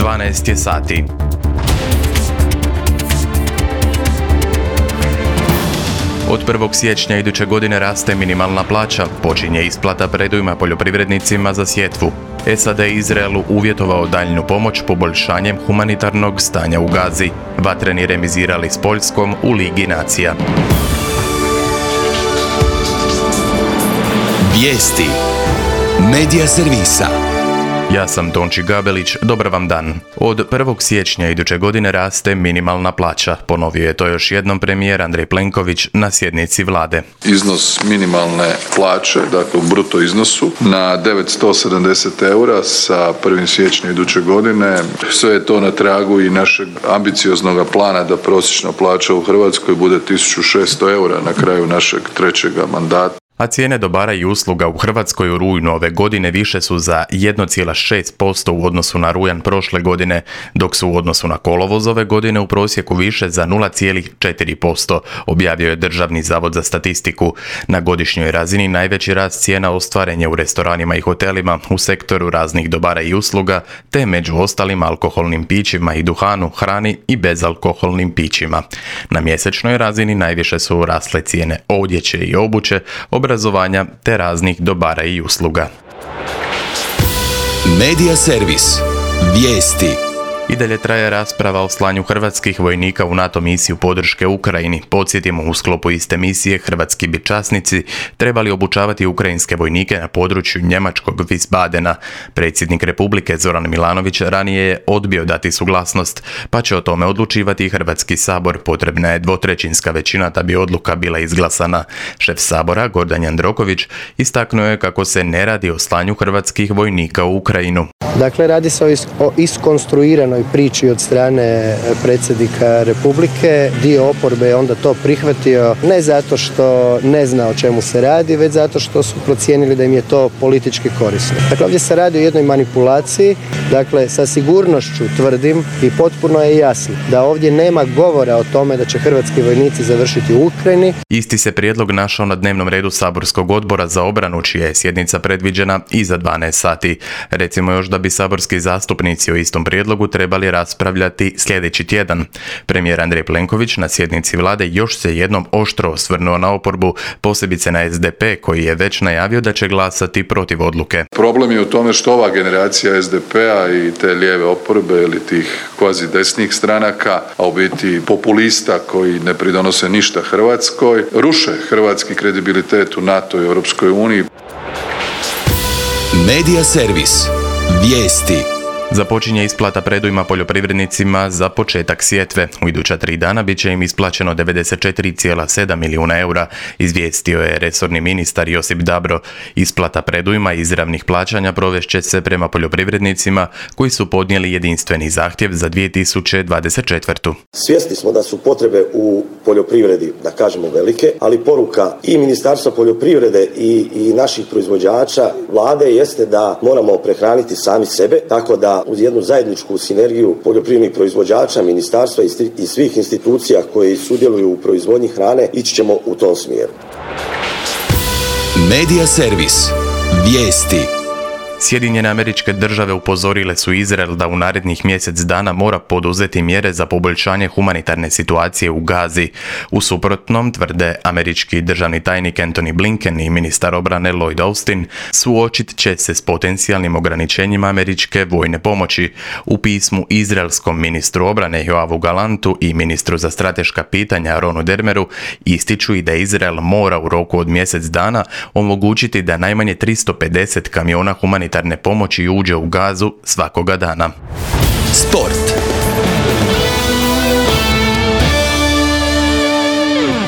12 je sati. Od 1. siječnja iduće godine raste minimalna plaća, počinje isplata predujma poljoprivrednicima za sjetvu. SAD je Izraelu uvjetovao daljnju pomoć poboljšanjem humanitarnog stanja u Gazi. Vatreni remizirali s Poljskom u Ligi nacija. Vijesti Medija servisa. Ja sam Tonči Gabelić, dobar vam dan. Od 1. siječnja iduće godine raste minimalna plaća. Ponovio je to još jednom premijer Andrej Plenković na sjednici vlade. Iznos minimalne plaće, dakle u bruto iznosu, na 970 eura sa 1. siječnja iduće godine. Sve je to na tragu i našeg ambicioznog plana da prosječna plaća u Hrvatskoj bude 1600 eura na kraju našeg trećega mandata. A cijene dobara i usluga u Hrvatskoj u rujnu ove godine više su za 1,6% u odnosu na rujan prošle godine, dok su u odnosu na kolovoz ove godine u prosjeku više za 0,4%, objavio je Državni zavod za statistiku. Na godišnjoj razini najveći rast cijena ostvaren je u restoranima i hotelima, u sektoru raznih dobara i usluga, te među ostalim alkoholnim pićima i duhanu, hrani i bezalkoholnim pićima. Na mjesečnoj razini najviše su rasle cijene odjeće i obuće, obrazovanja te raznih dobara i usluga. Medija servis. Vijesti. I dalje traje rasprava o slanju hrvatskih vojnika u NATO misiju podrške Ukrajini. Podsjetimo, u sklopu iste misije hrvatski bi časnici trebali obučavati ukrajinske vojnike na području njemačkog Wiesbadena. Predsjednik Republike Zoran Milanović ranije je odbio dati suglasnost, pa će o tome odlučivati i Hrvatski sabor. Potrebna je 2/3 većina da bi odluka bila izglasana. Šef sabora Gordan Jandroković istaknuo je kako se ne radi o slanju hrvatskih vojnika u Ukrajinu. Dakle, radi se o iskonstruiranoj priči od strane predsjednika Republike. Dio oporbe je onda to prihvatio ne zato što ne zna o čemu se radi, već zato što su procijenili da im je to politički korisno. Dakle, ovdje se radi o jednoj manipulaciji. Dakle, sa sigurnošću tvrdim i potpuno je jasno da ovdje nema govora o tome da će hrvatski vojnici završiti u Ukrajini. Isti se prijedlog našao na dnevnom redu saborskog odbora za obranu, čija je sjednica predviđena i za 12 sati. Recimo još da bi saborski zastupnici o istom prijedlogu trebali raspravljati sljedeći tjedan. Premijer Andrej Plenković na sjednici vlade još se jednom oštro osvrnuo na oporbu, posebice na SDP koji je već najavio da će glasati protiv odluke. Problem je u tome što ova generacija SDP-a i te lijeve oporbe ili tih kvazi desnih stranaka, a u biti populista koji ne pridonose ništa Hrvatskoj, ruše hrvatski kredibilitet u NATO i Europskoj uniji. Medija servis. Vijesti. Započinje isplata predujma poljoprivrednicima za početak sjetve. U iduća 3 dana bit će im isplaćeno 94,7 milijuna eura, izvijestio je resorni ministar Josip Dabro. Isplata predujma izravnih plaćanja provešće se prema poljoprivrednicima koji su podnijeli jedinstveni zahtjev za 2024. Svjesni smo da su potrebe u poljoprivredi, da kažemo, velike, ali poruka i Ministarstva poljoprivrede i naših proizvođača, vlade, jeste da moramo prehraniti sami sebe, tako da uz jednu zajedničku sinergiju poljoprivrednih proizvođača, ministarstva i svih institucija koji sudjeluju u proizvodnji hrane, ići ćemo u tom smjeru. Medija servis. Vijesti. Sjedinjene Američke Države upozorile su Izrael da u narednih mjesec dana mora poduzeti mjere za poboljšanje humanitarne situacije u Gazi. U suprotnom, tvrde američki državni tajnik Antony Blinken i ministar obrane Lloyd Austin, suočit će se s potencijalnim ograničenjima američke vojne pomoći. U pismu izraelskom ministru obrane Joavu Galantu i ministru za strateška pitanja Ronu Dermeru ističu i da Izrael mora u roku od mjesec dana omogućiti da najmanje 350 kamiona humanitarne pomoći uđe u Gazu svakoga dana. Sport.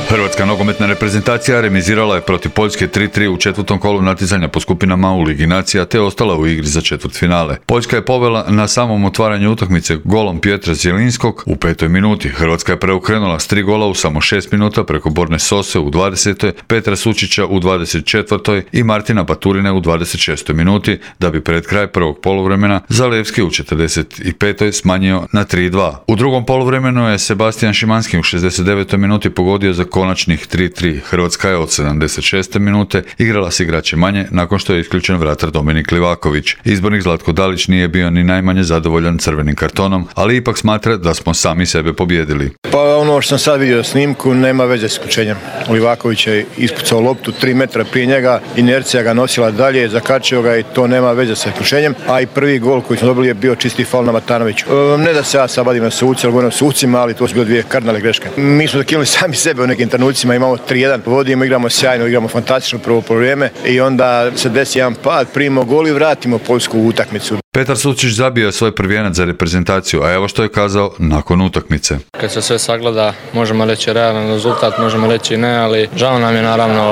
Hrvatska nogometna reprezentacija remizirala je protiv Poljske 3:3 u četvrtom kolu natjecanja po skupinama u Ligi nacija te ostala u igri za četvrtfinale. Poljska je povela na samom otvaranju utakmice golom Pietra Zielinskog u 5. minuti. Hrvatska je preokrenula s 3 gola u samo 6 minuta preko Borne Sose u 20. Petra Sučića u 24. i Martina Baturine u 26. minuti, da bi pred kraj prvog poluvremena Zalewski u 45. smanjio na 3:2. U drugom poluvremenu je Sebastian Šimanski u 69. minuti pogodio za konačnih 3-3. Hrvatska je od 76. minute igrala s igrače manje nakon što je isključen vratar Dominik Livaković. Izbornik Zlatko Dalić nije bio ni najmanje zadovoljan crvenim kartonom, ali ipak smatra da smo sami sebe pobijedili. Pa ono što sam sad vidio snimku nema veze s isključenjem. Livaković je ispucao loptu 3 metra prije njega, inercija ga nosila dalje, zakačio ga i to nema veze sa isključenjem, a i prvi gol koji smo dobili je bio čisti faul na Matanoviću. Ne da se ja sad badim na suci, ali govorim o sucima, ali to su bile 2 kardinalne greške. Mi smo zakinuli sami sebe u nekim trenucima, imamo 3-1, vodimo, igramo sjajno, igramo fantastično prvo poluvreme i onda se desi jedan pad, primimo gol i vratimo poljsku utakmicu. Petar Sučić zabio je svoj prvijenac za reprezentaciju, a evo što je kazao nakon utakmice. Kad se sve sagleda, možemo reći realan rezultat, možemo reći ne, ali žao nam je naravno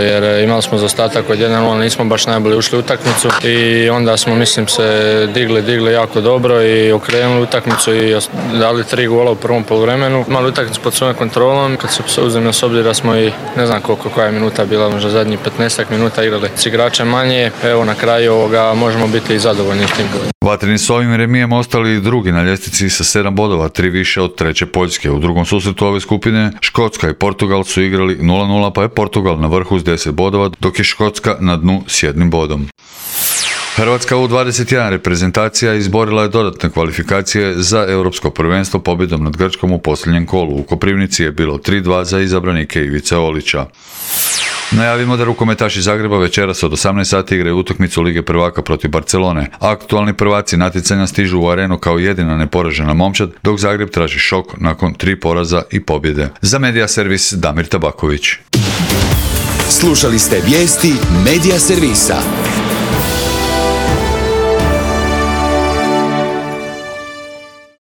jer imali smo zaostatak od 1-0, nismo baš najbolje ušli u utakmicu i onda smo, mislim, se digli jako dobro i okrenuli utakmicu i dali 3 gola u prvom poluvremenu. Imali utakmicu pod svojom kontrolom, kad se uzmemo s obzira da smo i ne znam koja je minuta bila, možda zadnjih 15 minuta igrali s igračem manje, evo na kraju možemo biti i zadovoljni. Vatreni s ovim remijem ostali drugi na ljestvici sa 7 bodova, 3 više od treće Poljske. U drugom susretu ove skupine Škotska i Portugal su igrali 0-0, pa je Portugal na vrhu s 10 bodova, dok je Škotska na dnu s 1 bodom. Hrvatska U21 reprezentacija izborila je dodatne kvalifikacije za europsko prvenstvo pobjedom nad Grčkom u posljednjem kolu. U Koprivnici je bilo 3-2 za izabranike Ivice Olića. Najavimo da rukometaši Zagreba večeras od 18 sati igraju utakmicu Lige prvaka protiv Barcelone. Aktualni prvaci natjecanja stižu u arenu kao jedina neporažena momčad, dok Zagreb traži šok nakon 3 poraza i pobjede. Za Medija servis Damir Tabaković. Slušali ste vijesti Medija servisa.